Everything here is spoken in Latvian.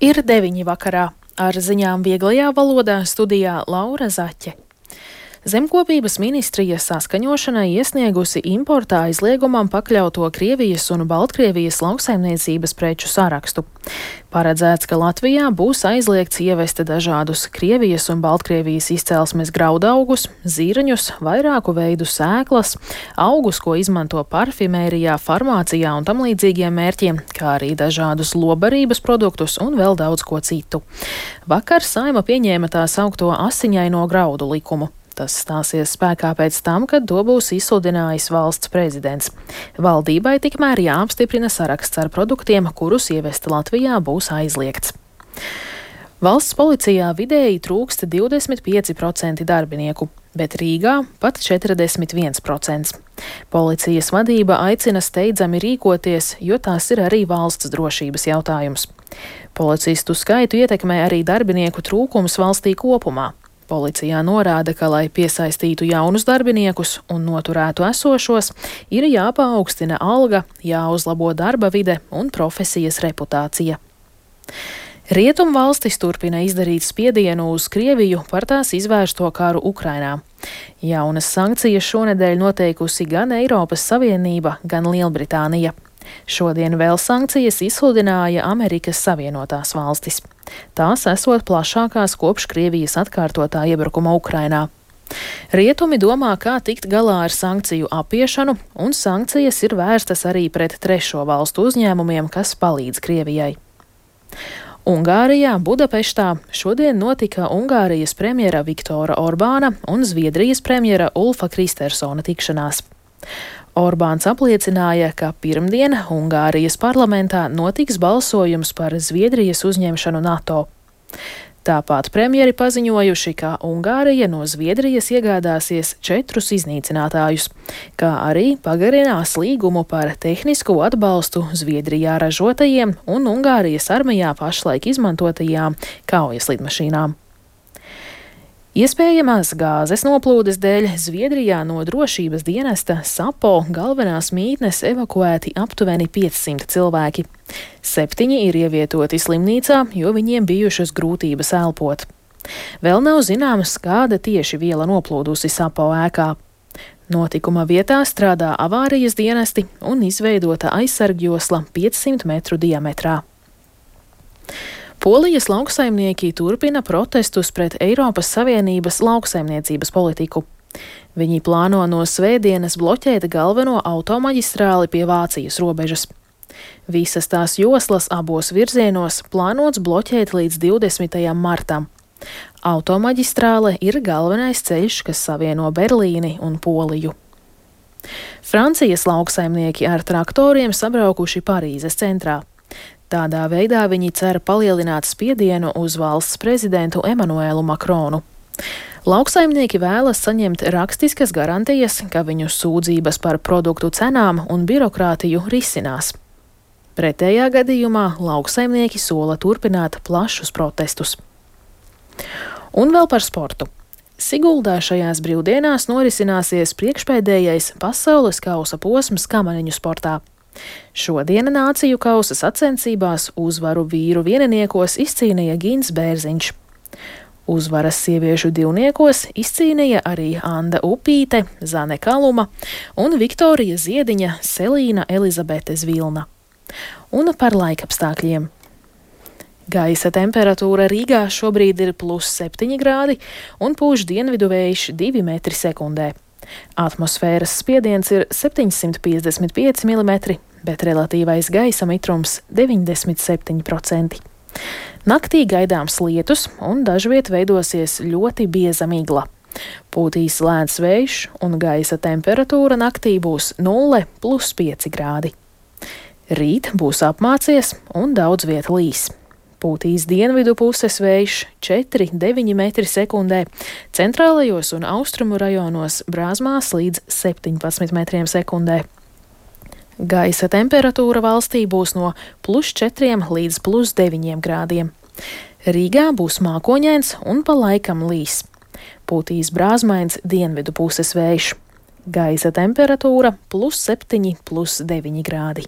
Ir 9 vakarā. Ar ziņām vieglajā valodā studijā Laura Zaķe. Zemkopības ministrija saskaņošanai iesniegusi importā aizliegumam pakļauto Krievijas un Baltkrievijas lauksaimniecības preču sarakstu. Paredzēts, ka Latvijā būs aizliegts ievest dažādus Krievijas un Baltkrievijas izcelsmes graudaugus, zirņus, vairāku veidu sēklas, augus, ko izmanto parfimērijā, farmācijā un tam līdzīgiem mērķiem, kā arī dažādus lobarības produktus un vēl daudz ko citu. Vakar Saeima pieņēma tā saukto asiņaino graudu likumu. Tas stāsies spēkā pēc tam, kad to būs izsludinājis valsts prezidents. Valdībai tikmēr jāapstiprina saraksts ar produktiem, kurus ievest Latvijā būs aizliegts. Valsts policijā vidēji trūkst 25% darbinieku, bet Rīgā pat 41%. Policijas vadība aicina steidzami rīkoties, jo tās ir arī valsts drošības jautājums. Policistu skaitu ietekmē arī darbinieku trūkums valstī kopumā. Policijā norāda, ka, lai piesaistītu jaunus darbiniekus un noturētu esošos, ir jāpaaugstina alga, jāuzlabo darba vide un profesijas reputācija. Rietumvalstis turpina izdarīt spiedienu uz Krieviju par tās izvērsto karu Ukrainā. Jaunas sankcijas šonedēļ noteikusi gan Eiropas Savienība, gan Lielbritānija. Šodien vēl sankcijas izsludināja Amerikas Savienotās valstis. Tās esot plašākās kopš Krievijas atkārtotā iebrukuma Ukrainā. Rietumi domā, kā tikt galā ar sankciju apiešanu, un sankcijas ir vērstas arī pret trešo valstu uzņēmumiem, kas palīdz Krievijai. Ungārijā, Budapeštā, šodien notika Ungārijas premjera Viktora Orbāna un Zviedrijas premjera Ulfa Kristersona tikšanās. Orbāns apliecināja, ka pirmdien Ungārijas parlamentā notiks balsojums par Zviedrijas uzņemšanu NATO. Tāpat premjeri paziņojuši, ka Ungārija no Zviedrijas iegādāsies 4 iznīcinātājus, kā arī pagarinās līgumu par tehnisko atbalstu Zviedrijā ražotajiem un Ungārijas armijā pašlaik izmantotajām kaujas lidmašīnām. Iespējamās gāzes noplūdes dēļ Zviedrijā no drošības dienesta SAPO galvenās mītnes evakuēti aptuveni 500 cilvēki. 7 ir ievietoti slimnīcā, jo viņiem bijušas grūtības elpot. Vēl nav zināms, kāda tieši viela noplūdusi SAPO ēkā. Notikuma vietā strādā avārijas dienesti un izveidota aizsargjosla 500 metru diametrā. Polijas lauksaimnieki turpina protestus pret Eiropas Savienības lauksaimniecības politiku. Viņi plāno no svētdienas bloķēt galveno automaģistrāli pie Vācijas robežas. Visas tās joslas abos virzienos plānots bloķēt līdz 20. martam. Automaģistrāle ir galvenais ceļš, kas savieno Berlīni un Poliju. Francijas lauksaimnieki ar traktoriem sabraukuši Parīzes centrā. Tādā veidā viņi cer palielināt spiedienu uz valsts prezidentu Emanuelu Makronu. Lauksaimnieki vēlas saņemt rakstiskas garantijas, ka viņu sūdzības par produktu cenām un birokrātiju risinās. Pretējā gadījumā lauksaimnieki sola turpināt plašus protestus. Un vēl par sportu. Siguldā šajās brīvdienās norisināsies priekšpēdējais pasaules kausa posms kamaniņu sportā. Šodien nāciju kausa sacensībās uzvaru vīru vieniniekos izcīnīja Gins Bērziņš. Uzvaras sieviešu divniekos izcīnīja arī Anda Upīte, Zane Kaluma un Viktorija Ziediņa Selīna Elizabete Zvilna. Un par laikapstākļiem. Gaisa temperatūra Rīgā šobrīd ir +7 grādi un pūš dienvidu vējš 2 metri sekundē. Atmosfēras spiediens ir 755 mm, bet relatīvais gaisa mitrums 97%. Naktī gaidāms lietus un dažviet veidosies ļoti bieza migla. Pūtīs lēns vējš un gaisa temperatūra naktī būs 0–5 grādi. Rīt būs apmācies un daudz viet līs. Pūtīs dienvidu puses vējš 4–9 metri sekundē, centrālajos un austrumu rajonos brāzmās līdz 17 metriem sekundē. Gaisa temperatūra valstī būs no +4 līdz +9 grādiem. Rīgā būs mākoņains un pa laikam līs. Pūtīs brāzmains dienvidu puses vējš. Gaisa temperatūra +7–+9 grādi.